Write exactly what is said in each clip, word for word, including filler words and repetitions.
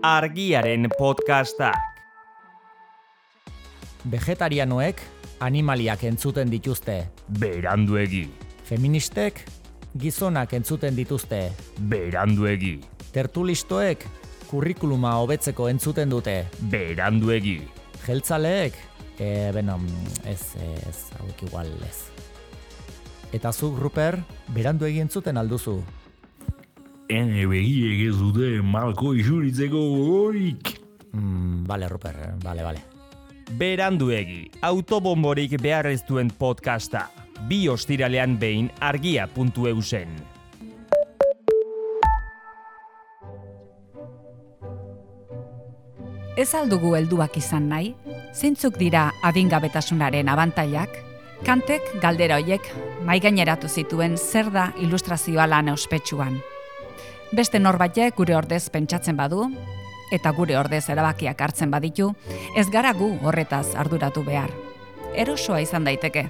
Argiaren podcastak. Vegetarianoek animaliak entzuten dituzte. Beranduegi. Feministek gizonak entzuten dituzte. Beranduegi. Tertulistoek kurrikuluma hobetzeko entzuten dute. Beranduegi. Jeltzaleek, e, beno, ez, ez, hauek igual ez. Eta zuk, Ruper, beranduegi entzuten alduzu. Ene begiek ez dute malko isuritzeko gogorik. Mm, bale, Ruper, bale, bale. Beranduegi, autobomborik behar ez duen podcasta. Bi ostiralean behin argia puntu eusen. Ez aldugu helduak izan nahi? Zeintzuk dira adingabetasunaren abantailak? Kantek galdera hoiek maigaineratu zituen zer da ilustrazioa lan ospetsuan. Beste norbaitek gure ordez pentsatzen badu, eta gure ordez erabakiak hartzen baditu, ez gara gu horretaz arduratu behar. Erosoa izan daiteke,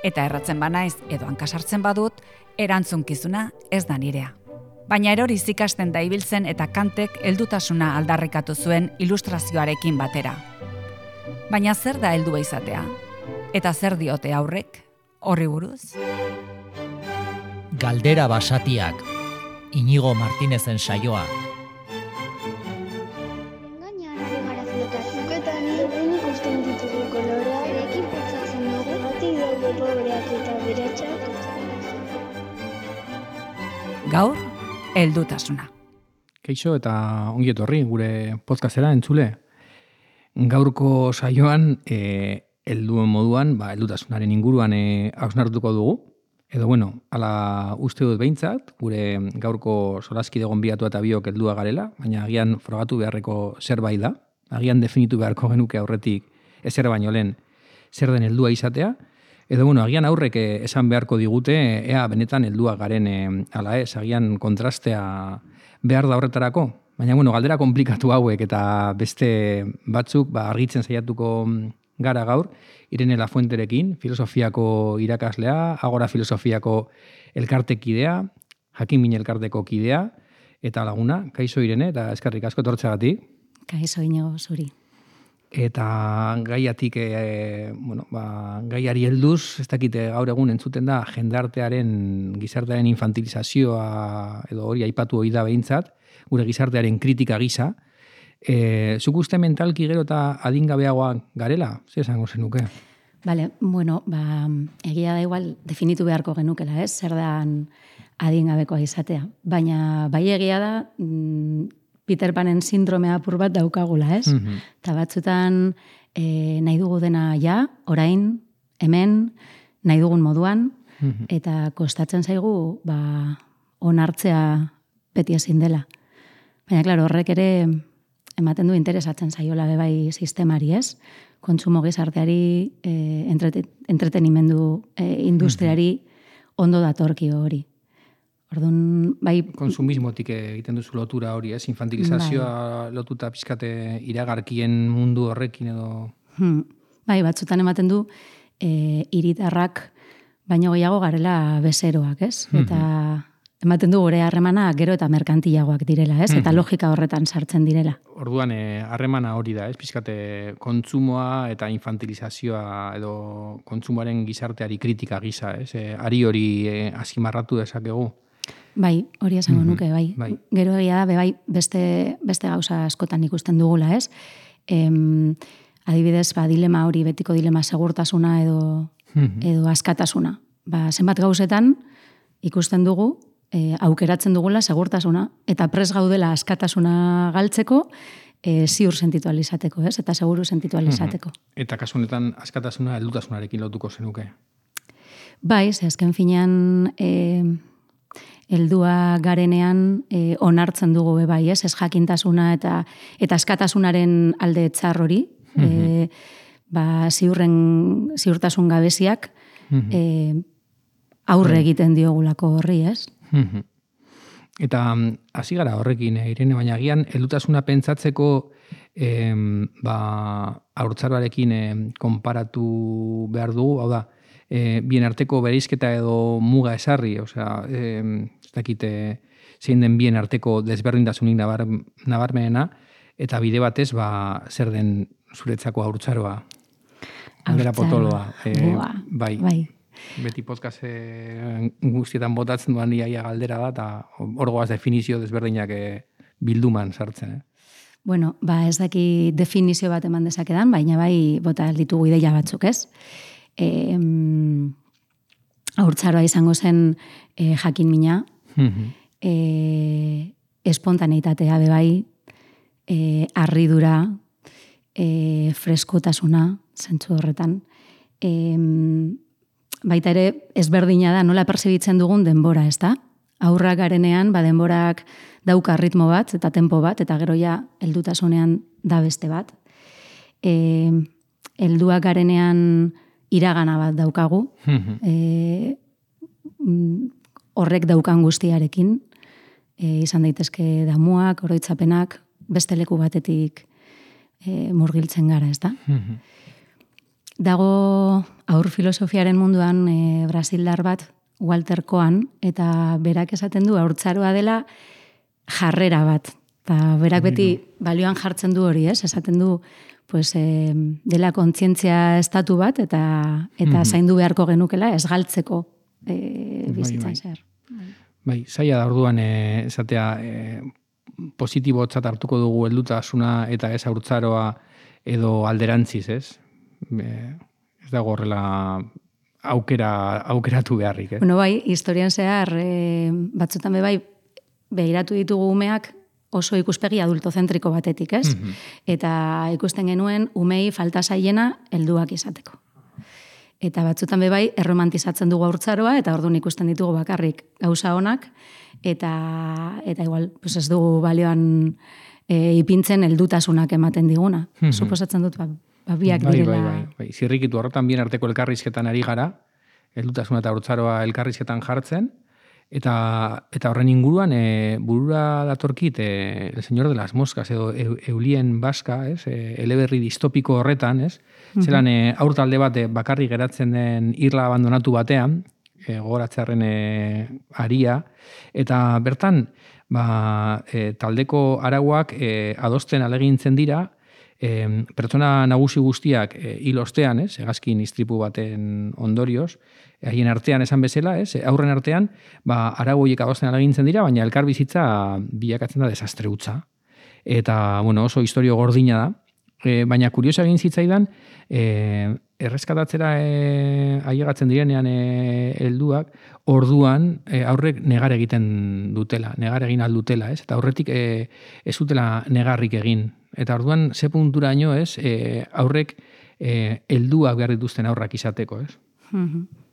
eta erratzen banaiz edo hankasartzen badut, erantzunkizuna ez da nirea. Baina eroriz ikasten da ibiltzen eta Kantek heldutasuna aldarrikatu zuen ilustrazioarekin batera. Baina zer da heldua izatea? Eta zer diote aurrek? Horri buruz? Galdera basatiak, Inigo Martinezen saioa. Gainean ari gara filotazioak eta ni ikusten ditugu koloreak, erekin pentsatzen dugu, batik daude pobreak eta beratxak. Gaur, heldutasuna. Kaixo eta ongi etorri gure podcastera entzule. Gaurko saioan e, helduen moduan, ba, heldutasunaren inguruan e, hausnartuko dugu. Edo bueno, ala uste dut behintzat, gure gaurko solaskide gonbidatua eta biok heldua garela, baina agian frogatu beharreko zerbait da. Agian definitu beharko genuke aurretik ezer baino lehen zer den heldua izatea. Edo bueno, agian aurrek esan beharko digute ea benetan helduak garen e, ala ez, agian kontrastea behar da horretarako. Baina bueno, galdera komplikatu hauek eta beste batzuk ba, argitzen saiatuko gara gaur, Irene Lafuenterekin, filosofiako irakaslea, Agora filosofiako elkartekidea, Jakin-min elkarteko kidea, eta laguna, kaixo Irene, eta eskerrik asko etortzeagatik. Kaixo Inigo zuri. Eta gaiatik, e, bueno, ba, gaiari helduz, ez dakite gaur egun entzuten da, jendartearen, gizartearen infantilizazioa, edo hori aipatu hori da behintzat, gure gizartearen kritika gisa. E, zuk uste mentalki gero eta adingabeagoak garela? Zer esango zenuke? Bale, bueno, ba, egia da igual definitu beharko genukela, ez? Zer da adingabekoa izatea. Baina bai egia da mm, Peter Panen sindromea apur bat daukagula, ez? Mm-hmm. Eta batzutan e, nahi dugu dena ja, orain, hemen, nahi dugun moduan, mm-hmm. eta kostatzen zaigu ba, onartzea beti ezin dela. Baina, klaro, horrek ere ematen du interesatzen zaiola bebai sistemari, ez? Kontsumo gizarteari, e, entreten, entretenimendu e, industriari ondo datorkio hori. Orduan, bai... Konsumismotik egiten duzu lotura hori, ez? Infantilizazioa bai. Lotuta pizkate iragarkien mundu horrekin edo... Hmm. Bai, batzutan ematen du e, hiritarrak baino gehiago garela bezeroak, ez? Mm-hmm. Eta ematen du gure harremana gero eta merkantilagoak direla, ez? Eta logika horretan sartzen direla. Orduan, harremana hori da, ez? Pizkate kontsumoa eta infantilizazioa edo kontsumoaren gizarteari kritika gisa, ez? E, ari hori e, azimarratu dezakegu. Bai, hori esango nuke, bai. bai. Gero egia da, bai, beste, beste gauza askotan ikusten dugula, ez? Em, adibidez, ba, dilema hori, betiko dilema segurtasuna edo, edo askatasuna. Ba, zenbat gauzetan ikusten dugu, E, aukeratzen dugula segurtasuna, eta pres gaudela askatasuna galtzeko, e, ziur sentitu alizateko, ez? Eta seguru sentitu alizateko. Eta kasu honetan askatasuna heldutasunarekin lotuko zenuke? Bai, ze azken finean e, heldua garenean e, onartzen dugu be bai, ez? Ez jakintasuna eta eta askatasunaren alde txar hori, e, ba, ziurren, ziurtasun gabeziak e, aurre egiten diogulako horri, ez? Eta hasi gara horrekin, Irene, baina agian heldutasuna pentsatzeko em, ba, haurtzaroarekin em, konparatu behar dugu, hau da, e, bien arteko bereizketa edo muga esarri, osea, em, ez dakite zein den bien arteko desberdintasunik nabar, nabarmenena, eta bide batez, ba, zer den zuretzako haurtzaroa? Aldera potoloa. E, bai. bai. Beti podcast e, guztietan botatzen duan iaia galdera da, eta orgoaz definizio desberdinak e, bilduman sartzen. Eh? Bueno, ba ez daki definizio bat eman dezakedan, baina bai bota ditugu ideia batzuk, ez? E, haurtzaroa izango zen e, jakin mina, e, espontaneitatea bebai, e, arridura, e, freskotasuna, zentzu horretan. E, baita ere, ezberdina da, nola perzibitzen dugun denbora, ez da? Aurrak garenean, ba denborak dauka ritmo bat, eta tempo bat, eta gero ja, heldutasunean da beste bat. E, helduak garenean iragana bat daukagu, e, horrek daukan guztiarekin, e, izan daitezke damuak, oroitzapenak, beste leku batetik e, murgiltzen gara, ez da? Dago aur filosofiaren munduan e, brasildar bat, Walter Cohen, eta berak esaten du haurtzaroa dela jarrera bat. Eta berak beti balioan jartzen du hori, ez? Esaten du pues, e, dela kontzientzia estatu bat, eta eta mm-hmm. zaindu beharko genukela ez galtzeko e, bizitzan zer. Bai, zaila da orduan e, esatea e, positibotzat hartuko dugu heldutasuna eta ez haurtzaroa edo alderantziz, ez? E, ez dago horrela aukera aukeratu beharrik, eh? Bueno, bai, historian zehar e, batzutan be bai begiratu ditugu umeak oso ikuspegi adultozentriko batetik, ez? Mm-hmm. Eta ikusten genuen umei falta zaiena helduak izateko. Eta batzutan be bai erromantizatzen dugu haurtzaroa eta orduan ikusten ditugu bakarrik gauza onak eta eta igual pues ez dugu balioan e, ipintzen heldutasunak ematen diguna. Mm-hmm. Suposatzen dut ba, ba biak bai, direla. Bai, bai, bai. Zirrikitu horretan bien arteko elkarrizketan ari gara, heldutasuna eta haurtzaroa elkarrizketan jartzen. Eta, eta horren inguruan e, burura datorkit e, El Señor de las Moscas edo e, Eulien Baska, ez? E, eleberri distopiko horretan, ez? Mm-hmm. Zelan e, aurtalde bat e, bakarri geratzen den irla abandonatu batean, e, gogoratzearen e, aria, eta bertan ba, e, taldeko arauak e, adosten alegintzen dira, e, pertsona nagusi guztiak e, hil ostean, ez? Hegazkin istripu baten ondorioz, haien artean esan bezala, ez? Aurren artean, ba, arau horiek adosten alagintzen dira, baina elkar bizitza bilakatzen da desastre hutsa. Eta, bueno, oso historio gordina da. E, baina kuriosa egin zitzaidan, e, erreskatatzera e, ailegatzen direnean e, helduak, orduan e, aurrek negar egiten dutela, negar egin aldutela, ez? Eta aurretik e, ez dutela negarrik egin. Eta orduan, ze punturaino, ez? E, aurrek e, helduak behar dituzten aurrak izateko, ez? Mm-hmm.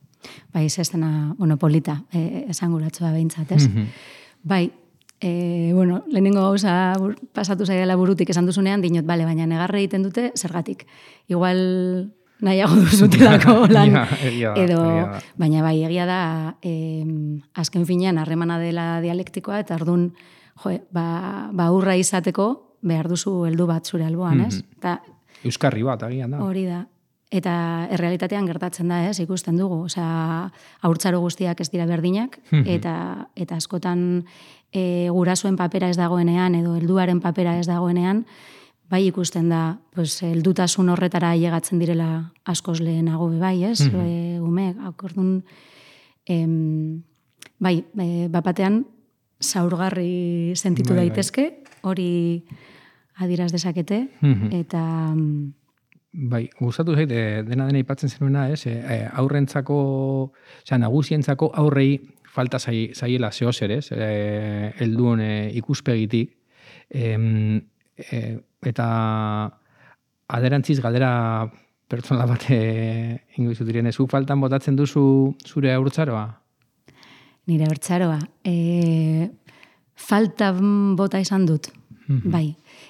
Bai, ez dena, bueno, polita, eh, esanguratzua behintzat, ez? Mm-hmm. Bai, eh, bueno, lehenengo gauza pasatu zaidala burutik esan duzunean, dinot, bale, baina negarre egiten dute, zergatik. Igual nahiago duzutelako lan, ja, egia da, edo, egia da. Baina bai, egia da, eh, azken finean, harremana dela dialektikoa, eta orduan, jo, ba, ba urra izateko, behar duzu heldu bat zure alboan, ez? Mm-hmm. Ta, Euskarri bat, agian da. Hori da. Eta errealitatean gertatzen da, ez, ikusten dugu. Osea, haurtzaro guztiak ez dira berdinak, eta, eta askotan e, gurasoen papera ez dagoenean, edo helduaren papera ez dagoenean, bai ikusten da, pues, heldutasun horretara ailegatzen direla askoz lehenago be bai, ez, e, ume, akordun, em, bai, e, bapatean, zaurgarri sentitu bai, daitezke, hori adiraz dezakete, eta... Bai, gustatu zait, dena dena ipatzen zenuena, ez? E, aurrentzako, osea, nagusientzako aurrei falta zai, zaiela zehozer, ez? E, helduen e, ikuspegitik. E, e, eta aderantziz galdera pertsona bat e, ingoizu diren, zu faltan botatzen duzu zure haurtzaroa? Nire haurtzaroa. E, falta bota izan dut, mm-hmm. bai.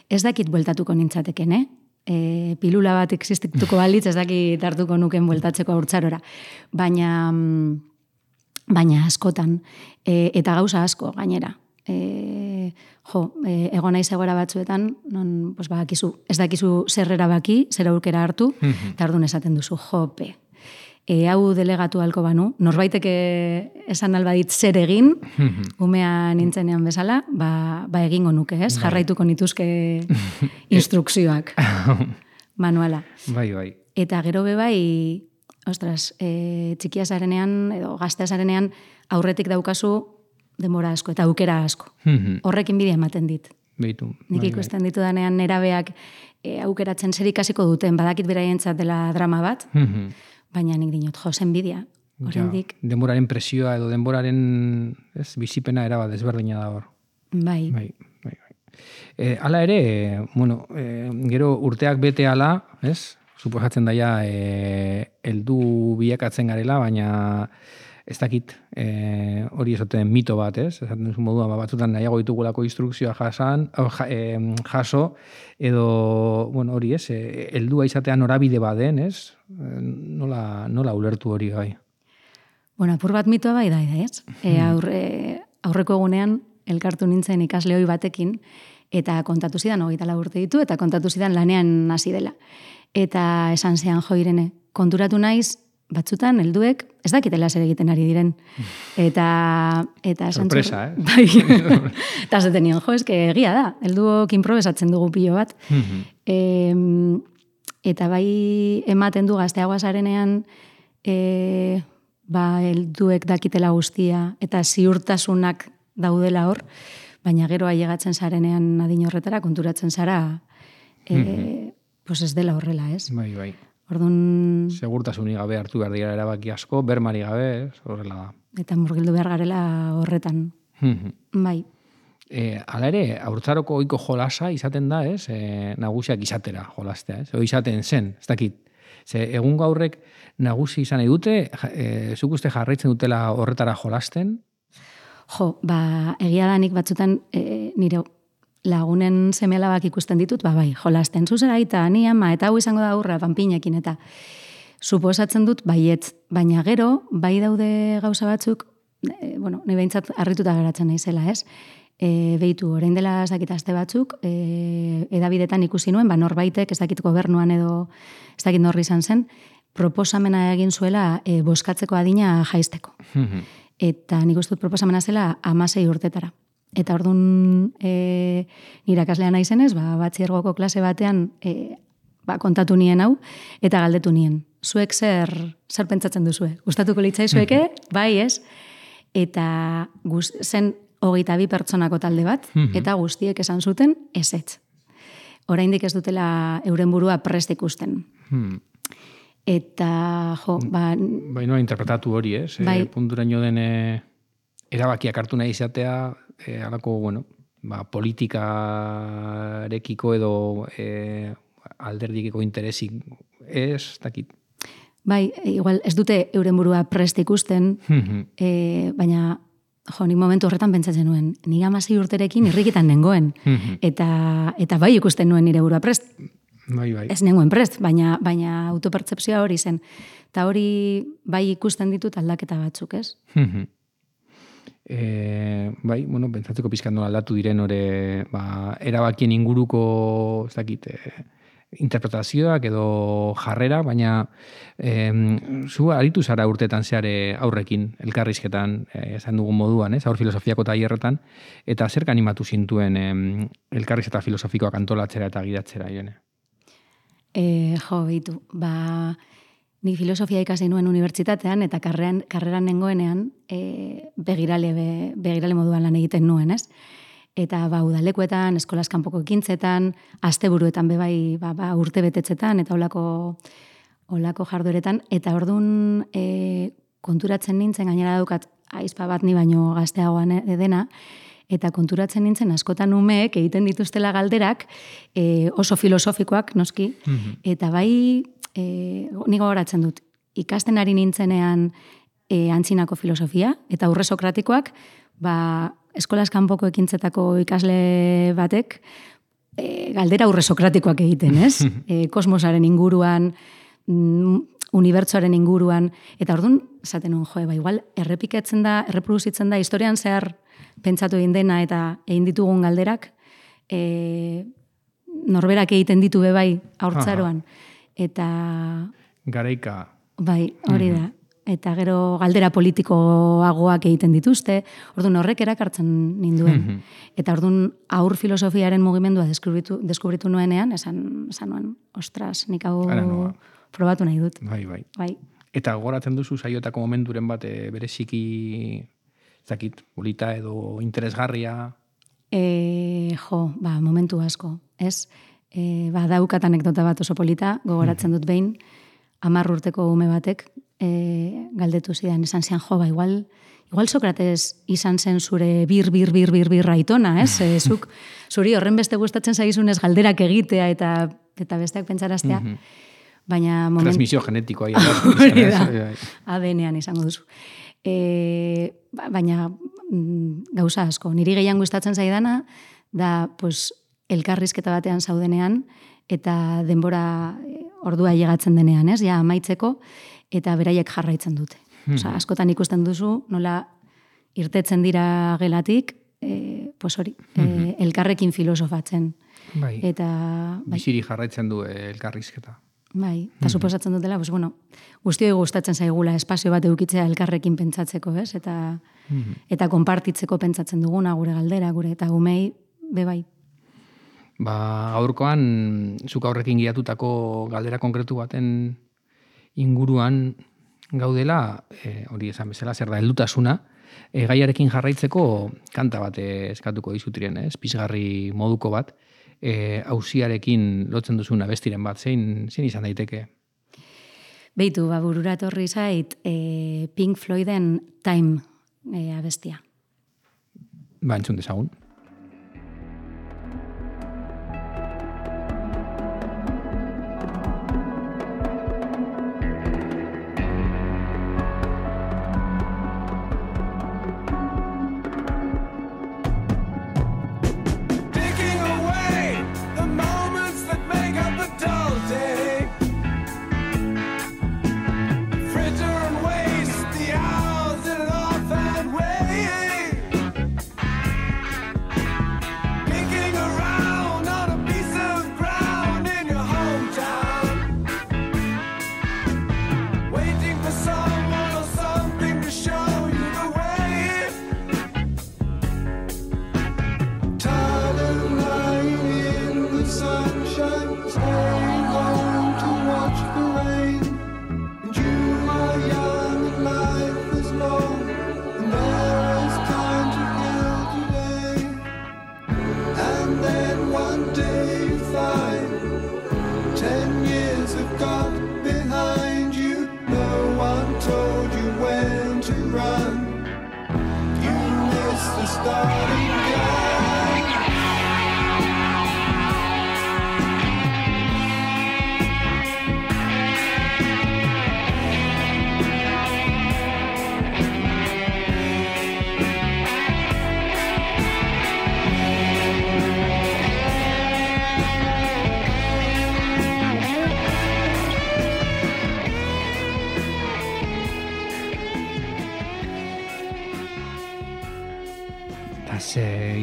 Ez dakit bueltatuko nintzateken, eh? E, pilula bat existituko balitz, ez dakit hartuko nuken bueltatzeko haurtzarora. Baina, baina askotan, e, eta gauza asko gainera. E, jo, e, egon naiz egoera batzuetan, non, pues, bakizu, ez dakizu zer erabaki, zer aurkera hartu, mm-hmm. eta orduan esaten duzu, jope. e, hau delegatu halko banu, norbaiteke esan albadit zer egin, umea nintzenean bezala, ba, ba egingo nuke, ez? Jarraituko nituzke instrukzioak, manuala. Bai, bai. Eta gero be bai, ostras, e, txikia zarenean, edo gaztea zarenean, aurretik daukazu denbora asko, eta aukera asko. Horrekin bidea ematen dit. Beitu. Nik bai, ikusten ditu danean nerabeak e, aukeratzen zer ikasiko duten, badakit beraientzat dela drama bat, bai. baina nik dinot, jo, zenbidia. Oraindik, Ja, denboraren presioa edo denboraren ez, bizipena erabat desberdina da hor. bai, Bai, bai, bai. E, hala ere, e, bueno, e, gero urteak bete hala, ez? Suposatzen daia e, heldu bilakatzen garela, baina ez dakit, e, hori esaten mito bat, ez? Esaten duzu modua, ba, batzutan nahiago ditugulako instrukzioa jasan, o, ja, e, jaso, edo, bueno, hori, ez? E, heldua izatea norabide baden, ez? E, nola, nola ulertu hori gai? bueno, apur bat mitoa bai da, ez? E, aurre, aurreko egunean, elkartu nintzen ikasle hoi batekin, eta kontatu zidan, hogeita lau urte ditu, eta kontatu zidan lanean hasi dela. Eta esan zean, jo, Irene, konturatu naiz, batzutan, helduek, ez dakitela zer egiten ari diren. Eta... eta sorpresa, eh? Bai. Eta zaten nion, jo, eske egia da. Helduok improbesatzen dugu pilo bat. e, eta bai ematen du gazteagoa zarenean, e, ba, helduek dakitela guztia, eta ziurtasunak daudela hor, baina gero ailegatzen zarenean adin horretara, konturatzen zara, e, pues ez dela horrela, ez? Bai, bai. Orduan... Segurtasunik gabe hartu behar dira erabaki asko, bermari gabe, ez, horrela da. Eta murgildu behar garela horretan. Bai. E, hala ere, haurtzaroko ohiko jolasa izaten da, ez? E, nagusiak izatera jolastea, ez? O izaten zen, ez dakit. Ze, egun gaurrek nagusi izan nahi dute, e, zuk uste jarraitzen dutela horretara jolasten? Jo, ba, egia da nik batzutan e, nire lagunen seme-alabak ikusten ditut, ba, bai, jolasten zuzera eta ni ama, eta hau izango da aurra, panpinekin, eta suposatzen dut, baietz, baina gero, bai daude gauza batzuk, e, bueno, ni behintzat harrituta geratzen naizela, ez? E, behitu, orain dela ez dakit aste batzuk, e, edabidetan ikusi nuen, ba, norbaitek, ez dakit gobernuan edo, ez dakit norri izan zen, proposamena egin zuela e, boskatzeko adina jaisteko. Eta nik uste dut proposamena zela hamasei urtetara. Eta orduan e, nire akaslean naizenez, ba, batxiergoko klase batean e, ba, kontatu nien hau, eta galdetu nien. Zuek zer, zer pentsatzen duzue? Gustatuko litzaizueke? Bai, ez? Eta guz, zen hogeita bi pertsonako talde bat, eta guztiek esan zuten ezetz. Oraindik ez dutela euren burua prest ikusten. Eta, jo, ba... Bai, nola interpretatu hori, ez? Bai. E, punturaino den e, erabakiak hartu nahi izatea, e, alako, bueno, ba, politikarekiko edo e, alderdikiko interesik ez, dakit. Bai, igual ez dute euren burua prest ikusten, e, baina, jo, nik momentu horretan pentsatzen nuen, nik hamasei urterekin irrikitan nengoen, eta, eta bai ikusten nuen nire burua prest. Bai, bai. Ez nengoen prest, baina, baina autopertzepzioa hori zen. Eta hori bai ikusten ditut aldaketa batzuk, ez? E, bai, bueno, pentsatzeko pizkat nola aldatu diren ore, ba, erabakien inguruko, ez dakit, e, interpretazioak edo jarrera, baina e, zu aritu zara urtetan zeare aurrekin, elkarrizketan, e, esan dugun moduan, ez, aur filosofiako tailerretan, eta zerk animatu zintuen e, elkarrizketa filosofikoak antolatzera eta gidatzera, Irene? E, jo, bitu, ba, nik filosofia ikasi nuen unibertsitatean, eta karreran, karreran nengoenean e, begirale, be, begirale moduan lan egiten nuen, ez? Eta ba, udalekuetan, eskolaz kanpoko ekintzetan, asteburuetan bebai ba, ba, urte betetzetan, eta olako, olako jardueretan, eta orduan e, konturatzen nintzen, gainera daukat, aizpa bat ni baino gazteagoan dena, eta konturatzen nintzen askotan umeek egiten dituztela galderak e, oso filosofikoak, noski, eta bai, e, nigo goratzen dut, ikasten ari nintzenean e, antzinako filosofia, eta aurre sokratikoak, ba, eskolaz kanpoko ekintzetako ikasle batek, e, galdera aurre sokratikoak egiten, ez? E, kosmosaren inguruan, mm, unibertsoaren inguruan, eta orduan, esaten nuen, joe, ba, igual, errepiketzen da, erreproduzitzen da, historian zehar pentsatu egin dena eta egin ditugun galderak, e, norberak egiten ditu bebai haurtzaroan. Eta... Garaika Bai, hori da. Eta gero galdera politikoagoak egiten dituzte, orduan horrek erakartzen ninduen. Eta orduan aur filosofiaren mugimendua deskubritu, deskubritu nuenean, esan, esan nuen, ostras, nik hau probatu nahi dut. Bai, bai. Bai. Eta goratzen duzu saiotako momenturen bat e, bereziki, zakit, polita edo interesgarria? E, jo, ba, momentu asko, ez? E, ba, daukat anekdota bat oso polita, gogoratzen dut behin, hamar urteko ume batek, E, galdetu zidan, esan zian, jo, ba, igual, igual Sokrates izan zen zure bir, bir, bir, bir, bir raitona, ez? E, zuk, zuri horren beste gustatzen zaizunez galderak egitea eta eta besteak pentsaraztea. Mm -hmm. Baina moment... Transmisio genetikoa. Hori da, A D N-ean izango duzu. E, baina gauza asko, niri gehiago gustatzen zaidana, da, pues, elkarrizketa batean zaudenean, eta denbora ordua llegatzen denean, ez? Ja, amaitzeko, eta beraiek jarraitzen dute. Hmm. Osa, askotan ikusten duzu, nola irtetzen dira gelatik, e, pues hori, hmm. e, elkarrekin filosofatzen. Bai. Eta, bai. Biziri jarraitzen du elkarrizketa. Bai, eta hmm. suposatzen dutela, pues bueno, guztioi gustatzen zaigula espazio bat edukitzea elkarrekin pentsatzeko, ez? Eta, hmm. eta konpartitzeko pentsatzen duguna, gure galdera, gure, eta umei, be bai. Ba, gaurkoan, zuk aurrekin giatutako galdera konkretu baten inguruan gaudela, e, hori esan bezala, zer da, heldutasuna, e, gaiarekin jarraitzeko kanta bat eskatuko dizutiren, ez? Pizgarri moduko bat, e, auziarekin lotzen duzun abestiren bat, zein, zein izan daiteke? Beitu, ba, burura etorri zait, e, Pink Floyden Time e, abestia. Ba, entzun dezagun.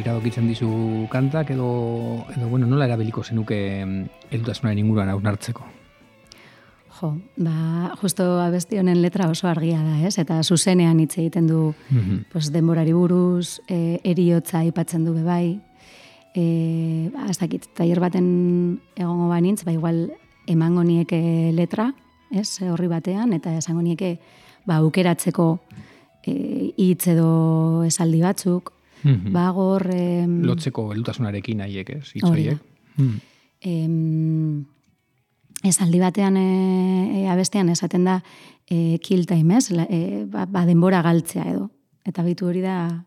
Iradokitzen dizu kantak edo, edo bueno, nola erabiliko zenuke heldutasunaren inguruan hausnartzeko? Jo, ba, justo abesti honen letra oso argia da, ez? Eta zuzenean hitz egiten du mm-hmm. pues, denborari buruz, e, eriotza aipatzen du bebai, e, ba, ez dakit, tailer baten egongo banintz, ba, igual emango nieke letra, ez, horri batean, eta esango nieke, ba, aukeratzeko hitz e, edo esaldi batzuk, Mm-hmm. Ba, gor... Eh, lotzeko heldutasunarekin nahiek, ez? Itzoiek. Mm. Eh, esaldi batean e, abestean esaten da e, kill time, ez? La, e, ba, ba, denbora galtzea edo. Eta bitu hori da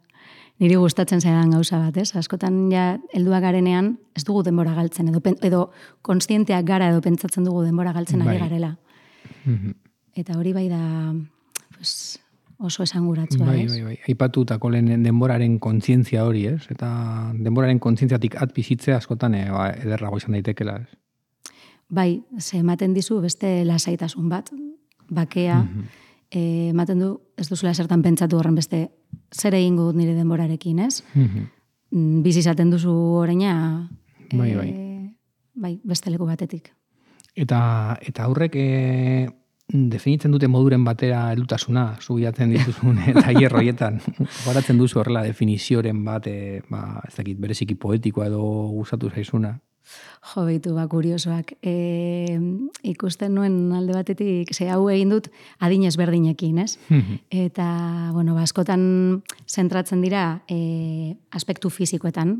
niri gustatzen zaidan gauza bat, ez? Askotan ja helduak garenean ez dugu denbora galtzen edo, edo kontzienteak gara edo pentsatzen dugu denbora galtzen ari garela. Mm-hmm. Eta hori bai da... Pues, oso esanguratzua, bai, ez? Bai, bai, aipatutako lehen denboraren kontzientzia hori, ez? Eta denboraren kontzientziatik at bizitzea askotan e, ba, ederrago izan daitekela, ez? Bai, ze ematen dizu beste lasaitasun bat, bakea, mm-hmm. e, ematen du, ez duzula zertan pentsatu horren beste zer egingo dut nire denborarekin, ez? Mm-hmm. Bizi izaten duzu oraina, bai, bai. E, bai, beste leku batetik. Eta, eta aurrek... E... definitzen dute moduren batera heldutasuna, zubiatzen dituzun tailer horietan. Goratzen duzu horrela definizioren bat, e, ba, ez dakit, bereziki poetikoa edo gustatu zaizuna. Jo, beitu, ba, kuriosoak. E, ikusten nuen alde batetik, ze hau egin dut adin ezberdinekin, ez? Eta, bueno, ba, askotan zentratzen dira e, aspektu fizikoetan,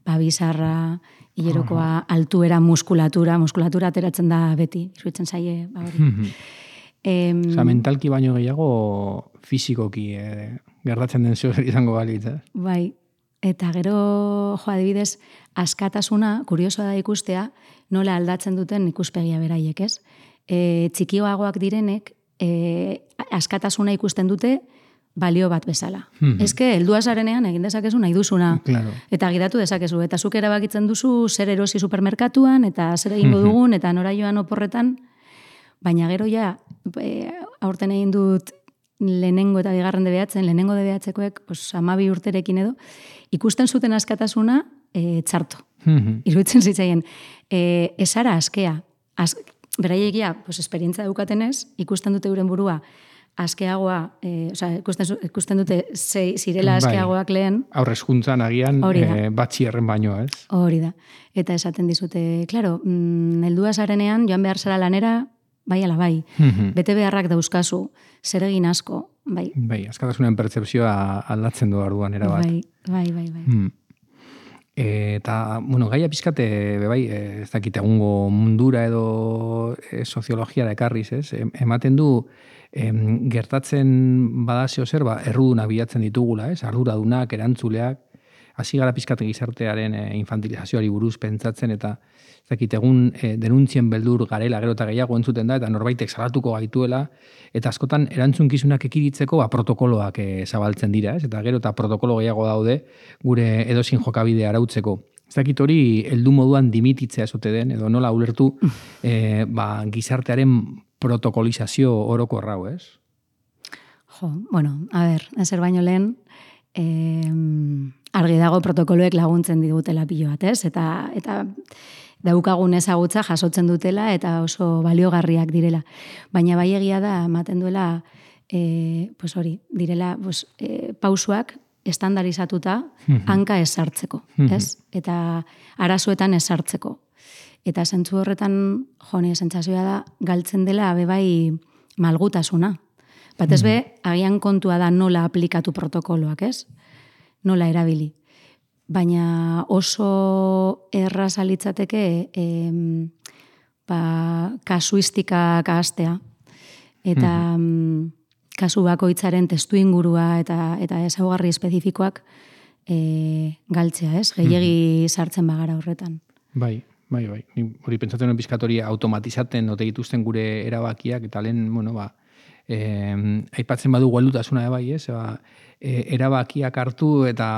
ba, bizarra, hilerokoa, altuera, muskulatura, muskulatura ateratzen da beti, iruditzen zaie, ba, hori. Em, Osa, mentalki baino gehiago fizikoki eh, gertatzen den zeo izango balitz, eh? Bai, eta gero, jo, adibidez, askatasuna, kuriosoa da ikustea, nola aldatzen duten ikuspegia beraiek, ez? E, txikioagoak direnek, e, askatasuna ikusten dute balio bat bezala. Mhm. Eske, heldua zarenean egin dezakezu nahi duzuna. Claro. Eta gidatu dezakezu. Eta zuk erabakitzen duzu zer erosi supermerkatuan, eta zer egingo dugun, eta nora joan oporretan. Baina gero ja, e, aurten egin dut lehenengo eta bigarren debeatzen, lehenengo debeatzekoek, pues, amabi urterekin edo, ikusten zuten askatasuna e, txarto. Iruditzen zitzaien. E, esara askea. Az, beraiegia, pues, esperientza daukatenez, ikusten dute euren burua, askeagoa, e, oza, ikusten, ikusten dute zei, zirela askeagoak lehen. Aurrez juntzan agian e, batxierren baino, ez? Hori da. Eta esaten dizute, klaro, mm, heldua zarenean, joan behar zara lanera, bai ala bai. Bete beharrak dauzkazu, zer egin asko, bai. Bai, askatasunen pertzepzioa aldatzen du arduan erabat. Bai, bai, bai. bai. Hmm. E, eta, bueno, gaia pizkate, bai, ez dakit egungo mundura edo e, soziologiara ekarriz, ez? Ematen du, em, gertatzen badazio zer, ba, erruduna bilatzen ditugula, ez? Arduradunak, erantzuleak, hasi gara pizkate gizartearen e, infantilizazioari buruz pentsatzen, eta ez dakit egun e, denuntzien beldur garela, gero eta gehiago entzuten da, eta norbaitek salatuko gaituela, eta askotan erantzunkizunak ekiritzeko ba, protokoloak e, zabaltzen dira, ez? Eta gero eta protokolo gehiago daude gure edozin jokabidea arautzeko. Ez dakit hori heldu moduan dimititzea ezote den, edo nola ulertu e, ba, gizartearen protokolizazio orokorra, ez? Jo, bueno, a ber, ezer baino lehen, eh, argi dago protokoloek laguntzen digutela pilo bat, ez? Eta, eta daukagun ezagutza jasotzen dutela eta oso baliogarriak direla. Baina bai egia da, ematen duela, e, pues hori, direla pues, e, pausuak estandarizatuta hanka esartzeko, ez? Eta arazoetan esartzeko. Eta zentzu horretan, jo, nire sentsazioa da, galtzen dela bebai malgutasuna. Batez be, agian kontua da nola aplikatu protokoloak, ez? Nola erabili. Baina oso erraz alitzateke em, ba, kasuistikak ahaztea. Eta mm-hmm. kasu bakoitzaren testu ingurua eta, eta ezaugarri espezifikoak e, galtzea, ez? Gehiegi sartzen bagara horretan. Bai, bai, bai. Ni hori pentsatzen nuen pizkatori automatizaten ote dituzten gure erabakiak, eta lehen, bueno, ba, eh, aipatzen badu gueldutasuna bai, ez? Ba, e, erabakiak hartu eta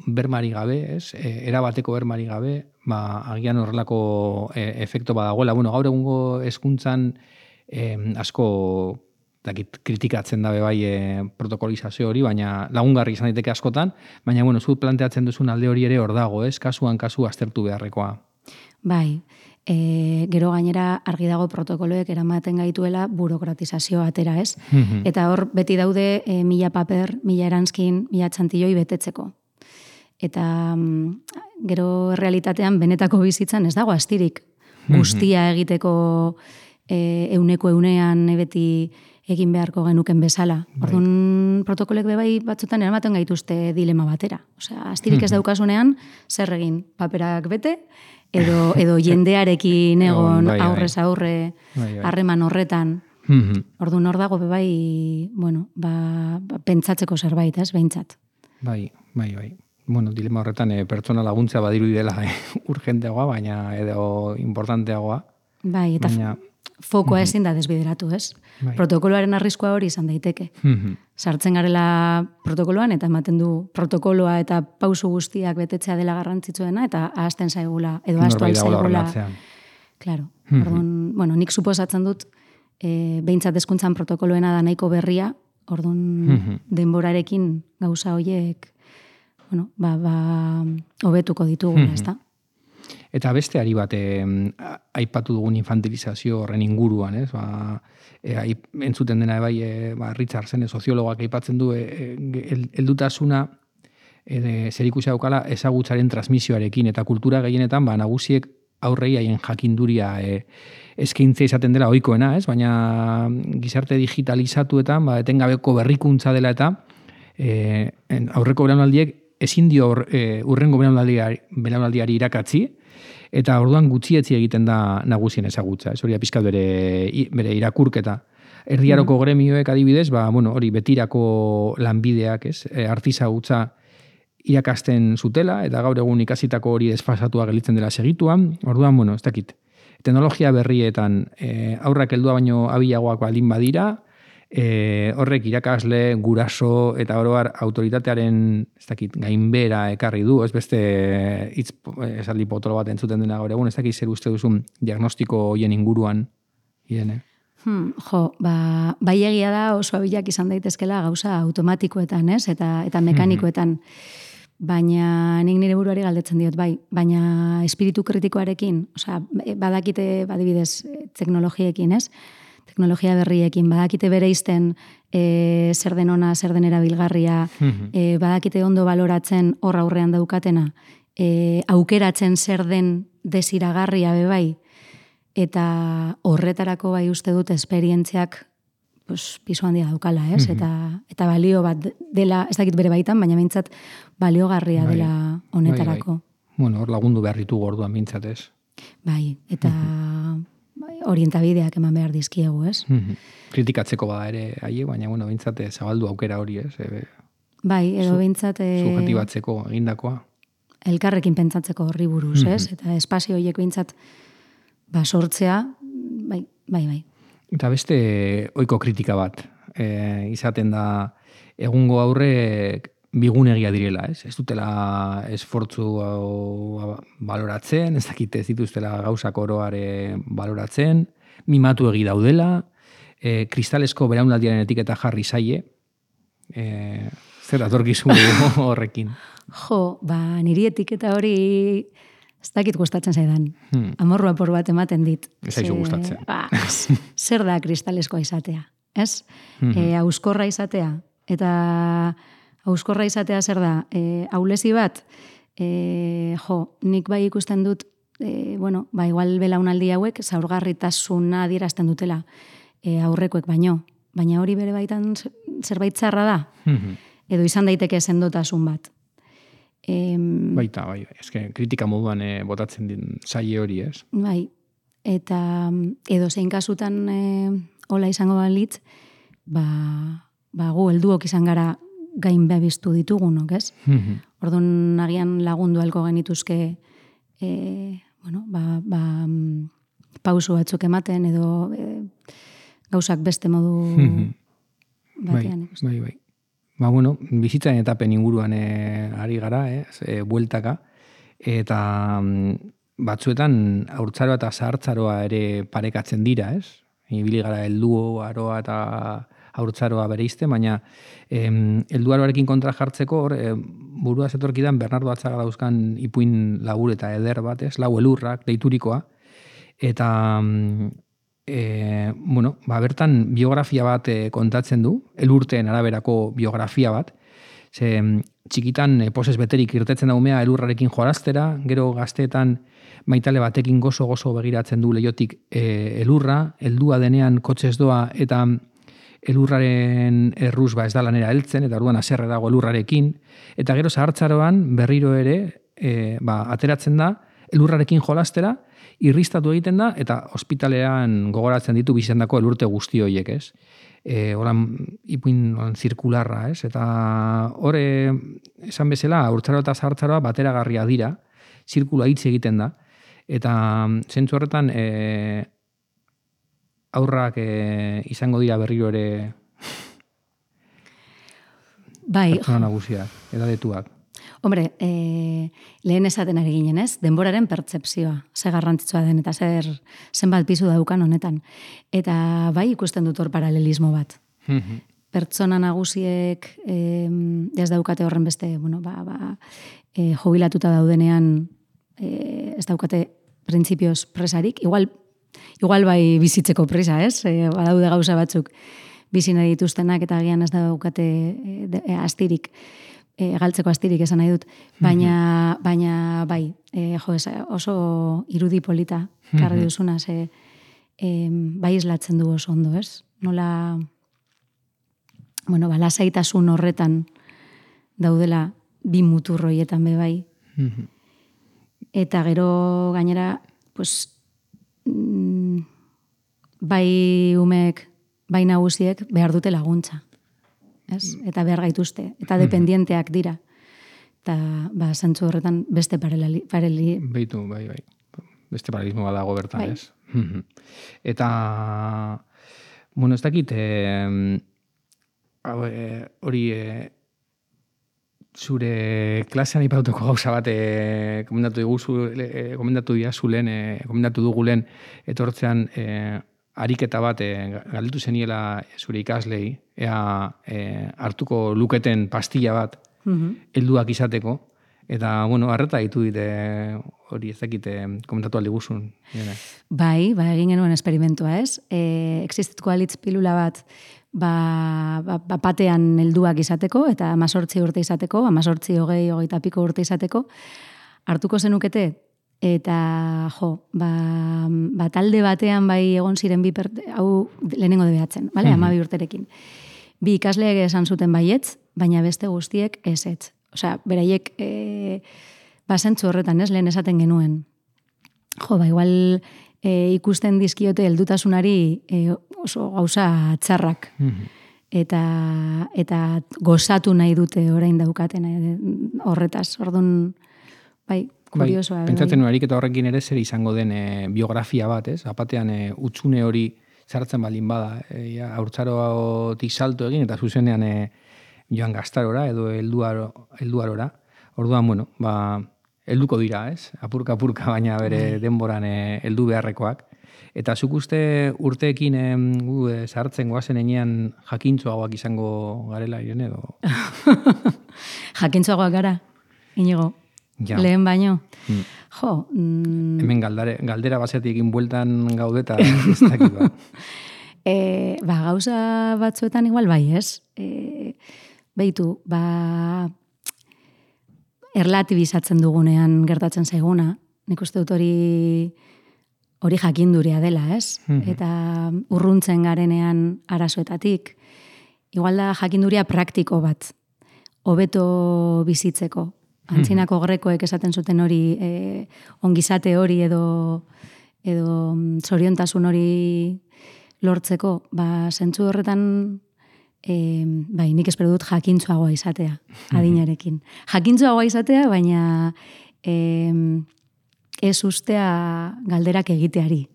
bermari gabe, ez? E, erabateko bermari gabe, ba, agian horrelako e, efekto badagoela. Bueno, gaur egungo hezkuntzan e, asko dakit, kritikatzen dabe bai e, protokolizazio hori, baina lagungarri izan daiteke askotan, baina bueno, zu planteatzen duzun alde hori ere hor dago, ez? Kasuan kasu aztertu beharrekoa. Bai, e, gero gainera argi dago protokoloek eramaten gaituela burokratizazio atera, ez? Mm-hmm. Eta hor beti daude e, mila paper, mila eranskin, mila txantilloi betetzeko. Eta mm, gero realitatean benetako bizitzan ez dago astirik guztia egiteko e, euneko eunean beti egin beharko genuken bezala. Orduan protokolek bebai batzutan eramaten gaituzte dilema batera. Osea, astirik ez daukasunean, zer egin paperak bete, edo, edo jendearekin egon bai, aurrez aurre harreman horretan. Orduan hor dago bebai, bueno, ba, ba, pentsatzeko zerbait, ez, behintzat. Bai, bai, bai. Bueno, dilema horretan e, pertsona laguntza badiru dela e, urgenteagoa, baina edo importanteagoa. Bai, eta baina fokoa mm-hmm. ezin da desbideratu, ez? Bai. Protokoloaren arriskoa hori izan daiteke. Mm-hmm. Sartzen garela protokoloan eta ematen du protokoloa eta pausu guztiak betetzea dela garrantzitsuena eta ahazten zaigula, edo ahaztu zaigula. Claro. Mm-hmm. Orduan, bueno, nik suposatzen dut e, behintzat hezkuntzan protokoloena da nahiko berria, orduan mm-hmm. denborarekin gauza horiek bueno, ba, ba, hobetuko ditugula, mm-hmm. ezta? Eta beste ari bat e, aipatu dugun infantilizazio horren inguruan, ez? Ba, e, entzuten dena bai, e, ba, Richardson, soziologak aipatzen du, e, el, eldutasuna e, zerikusia daukala ezagutzaren transmisioarekin, eta kultura gehienetan ba, nagusiek aurrei haien jakinduria e, eskaintza izaten dela ohikoena, ez? Baina gizarte digitalizatuetan ba, etengabeko berrikuntza dela eta e, aurreko belaunaldiek ezin dio e, urrengo belaunaldiari, belaunaldiari irakatzi, eta orduan gutxietzi egiten da nagusien ezagutza. Ez hori pizkat bere, bere irakurketa. Erdiaroko mm. gremioek adibidez, ba, bueno, hori betirako lanbideak, ez? E, artizagutza irakasten zutela, eta gaur egun ikasitako hori desfasatua gelditzen dela segituan. Orduan, bueno, ez dakit. Teknologia berrietan e, aurrak heldua baino abilagoak baldin badira, E, horrek irakasle, guraso eta oroar autoritatearen ez dakit, gainbera ekarri du, ez beste hitz esaldi potolo bat entzuten dena gaur egun, ez dakit zer uste duzun diagnostiko hoien inguruan, Irene? Hmm, jo, ba, bai egia da oso abilak izan daitezkela gauza automatikoetan, ez? Eta, eta mekanikoetan. Baina nik nire buruari galdetzen diot, bai. Baina espiritu kritikoarekin, osea, badakite, badibidez, teknologiekin, ez? Teknologia berriekin, badakite bereizten e, zer den ona, zer den erabilgarria, e, badakite ondo baloratzen hor aurrean daukatena, e, aukeratzen zer den desiragarria bebai, eta horretarako bai uste dut esperientziak pues, pisu handia daukala, ez? Eta, eta balio bat dela, ez dakit bere baitan, baina mintzat baliogarria bai, dela honetarako. Bai, bai. Bueno, hor lagundu behar ditugu orduan mintzat, ez? Bai, eta... orientabideak eman behar dizkiegu, ez? Mm-hmm. Kritikatzeko bada ere haie, baina bueno, bintzate zabaldu aukera hori, ez? E, bai, edo bintzate... Subjetibatzeko egindakoa. Elkarrekin pentsatzeko horri buruz, mm-hmm. ez? Eta espazio horiek bintzat ba, sortzea, bai, bai, bai. Eta beste ohiko kritika bat, e, izaten da egungo aurrek bigunegia direla, ez? Ez dutela esfortzu baloratzen, ez dakite ez dituztela gauzak oroare baloratzen, mimatu egi daudela, e, kristalesko beraunaldiaren etiketa jarri zaie, e, zer datorkizu horrekin? Jo, ba, niri etiketa hori ez dakit gustatzen zaidan. Hmm. Amorrua por bat ematen dit. Ez aizu gustatzen. Ba, zer da kristaleskoa izatea, ez? Hmm. E, auskorra izatea, eta... Auskorra izatea zer da, e, aulezi bat, e, jo, nik bai ikusten dut, e, bueno, ba, igual belaunaldi hauek zaurgarritasuna adierazten dutela e, aurrekoek baino, baina hori bere baitan zerbait txarra da, mm-hmm. edo izan daiteke sendotasun bat. E, Baita, bai, eske kritika moduan e, botatzen din saie hori, ez? Bai, eta edo zein kasutan e, hola izango balitz, ba, ba gu helduok izan gara gain behabiztu ditugunok, ez? Mm-hmm. Orduan agian lagundu alko genituzke e, bueno, ba, ba, pausu batzuk ematen edo e, gauzak beste modu mm-hmm. batean. Bai, bai, bai. Ba, bueno, bizitzaren etapen inguruan e, ari gara, eh? E, bueltaka, eta batzuetan haurtzaroa eta zahartzaroa ere parekatzen dira, ez? Ibili gara heldu aroa eta haurtzaroa bereizte, baina em, helduaroarekin kontra jartzeko hor, e, burua zetorkidan Bernardo Atzaga dauzkan ipuin labur eta eder bat, ez? Lau elurrak, deiturikoa, eta e, bueno, ba, bertan biografia bat e, kontatzen du, elurteen araberako biografia bat, ze txikitan e, poses beterik irtetzen da umea elurrarekin joaraztera, gero gazteetan maitale batekin gozo-gozo begiratzen du leiotik e, elurra, heldua denean kotxez doa, eta elurraren erruz ba ez da lanera heltzen, eta orduan haserre dago elurrarekin, eta gero zahartzaroan berriro ere e, ba, ateratzen da, elurrarekin jolastera, irristatu egiten da, eta ospitalean gogoratzen ditu bizendako elurte guzti horiek, ez? E, horan, ipuin horan, zirkularra, ez? Eta hore, esan bezala, haurtzaroa eta zahartzaroa bateragarria dira, zirkula hitz egiten da, eta zentzu horretan, e, aurrak e, izango dira berriro ere bai, pertsona nagusiak, edadetuak. Hombre, e, lehen esaten ari ginen, ez? Denboraren pertzepzioa, ze garrantzitsua den, eta zer zenbat pisu daukan honetan. Eta bai ikusten dut hor paralelismo bat. Mm-hmm. Pertsona nagusiek e, ez daukate horren beste, bueno, ba, ba, e, jubilatuta daudenean e, ez daukate printzipioz presarik, igual, igual bai bizitzeko presa, ez? E, badaude gauza batzuk bizi nahi dituztenak eta agian ez daukate e, e, astirik, e, galtzeko astirik esan nahi dut, baina, baina bai, e, jo, ez, oso irudi polita karri duzuna, ze e, bai islatzen du oso ondo, ez? Nola, bueno, ba, lasaitasun horretan daudela bi muturroietan be bai. Eta gero gainera, pues, mm, bai umek, bai nagusiek behar dute laguntza. Ez? Eta behar gaituzte. Eta dependienteak dira. Eta, ba, zentzu horretan beste paraleli... paraleli... Beitu, bai, bai. Beste paralelismo bat dago bertan, bai. Ez? Eta, bueno, ez dakit, eh, hori... Eh, zure klasean ipatuko gauza bat e, komendatu diguzu, e, komendatu diazu lehen, e, komendatu dugu lehen etortzean e, ariketa bat e, galdetu zeniela zure ikaslei, ea e, hartuko luketen pastilla bat helduak izateko, eta, bueno, arreta ditu dite hori ez dakite komentatu aldi guzun. Bai, ba, egin genuen esperimentua, ez? E, existituko alitz pilula bat Ba, ba, ba, batean helduak izateko, eta amazortzi urte izateko, amazortzi hogei, hogeita piko urte izateko, hartuko zenukete, eta jo, ba, ba, talde batean bai egon ziren bi perte, hau lehenengo debeatzen, bale, mm-hmm. amabi urterekin. Bi ikasleek esan zuten baietz, baina beste guztiek ezetz. Osea, beraiek e, basentzu horretan, ez, lehen esaten genuen. Jo, ba, igual... E, ikusten dizkiote heldutasunari e, oso gauza txarrak. Eta, eta gozatu nahi dute orain daukaten e, horretaz. Orduan, bai, kuriosoa. Bai, pentsatzen nuarik eta horrekin ere zer izango den e, biografia bat, ez? Apatean e, utxune hori zartzen balin bada. E, ja, haurtzarotik salto egin eta zuzenean e, joan gaztarora edo helduaro, helduarora. Orduan, bueno, ba... helduko dira, ez? Apurka-apurka, baina bere denboran heldu beharrekoak. Eta zuk uste urteekin e, gu e, sartzen goazen enean jakintzuagoak izango garela, Irene, edo? Jakintzuagoak gara, Inigo. Ja. Lehen baino. Mm. Jo. Mm... Hemen galdare, galdera basetik egin bueltan gaudeta, ez dakit ba. e, ba, gauza batzuetan igual bai, ez? E, Beitu, ba... erlatibizatzen dugunean gertatzen zaiguna, nik uste dut hori hori jakinduria dela, ez? Mm-hmm. Eta urruntzen garenean arazoetatik, igual da jakinduria praktiko bat, hobeto bizitzeko. Antzinako grekoek esaten zuten hori, e, ongizate hori edo edo zoriontasun hori lortzeko, ba, zentzu horretan E, bai, nik espero dut jakintzuagoa izatea, adinarekin. Jakintzuagoa izatea, baina e, ez ustea galderak egiteari,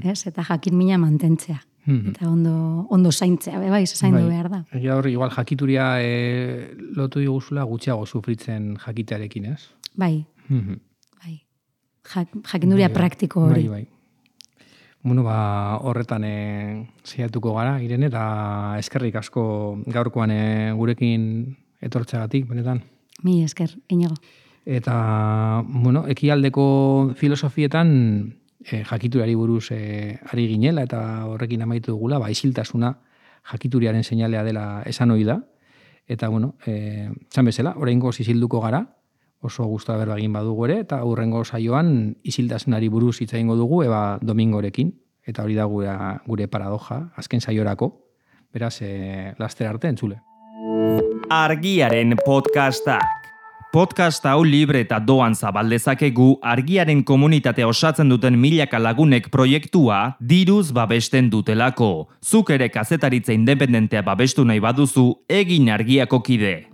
ez? Eta jakin mina mantentzea. Eta ondo, ondo zaintzea, bai, zaindu bai. Behar da. Egia hori, igual jakituria e, lotu diguzula gutxiago sufritzen jakitearekin, ez? Bai, bai. Jak, jakinduria bai, praktiko hori. Bai, bai. Bueno, ba, horretan e, zeiatuko gara, Irene, eta eskerrik asko gaurkoan e, gurekin etortzeagatik, benetan. Mi esker, Inigo. Eta, bueno, ekialdeko filosofietan e, jakiturari buruz e, ari ginela, eta horrekin amaitu dugula, ba, isiltasuna jakituriaren seinalea dela esan ohi da. Eta, bueno, e, txan bezala, oraingoz isilduko gara, oso guztua berba egin badugu ere, eta hurrengo saioan isiltasunari buruz hitz egingo dugu, eba Domingorekin, eta hori da gure, gure paradoja, azken saiorako, beraz, e, laster arte entzule. Argiaren podcastak. Podcast hau libre eta doan zabaldezakegu Argiaren komunitatea osatzen duten milaka lagunek proiektua diruz babesten dutelako. Zuk ere kazetaritza independentea babestu nahi baduzu, egin Argiako kide.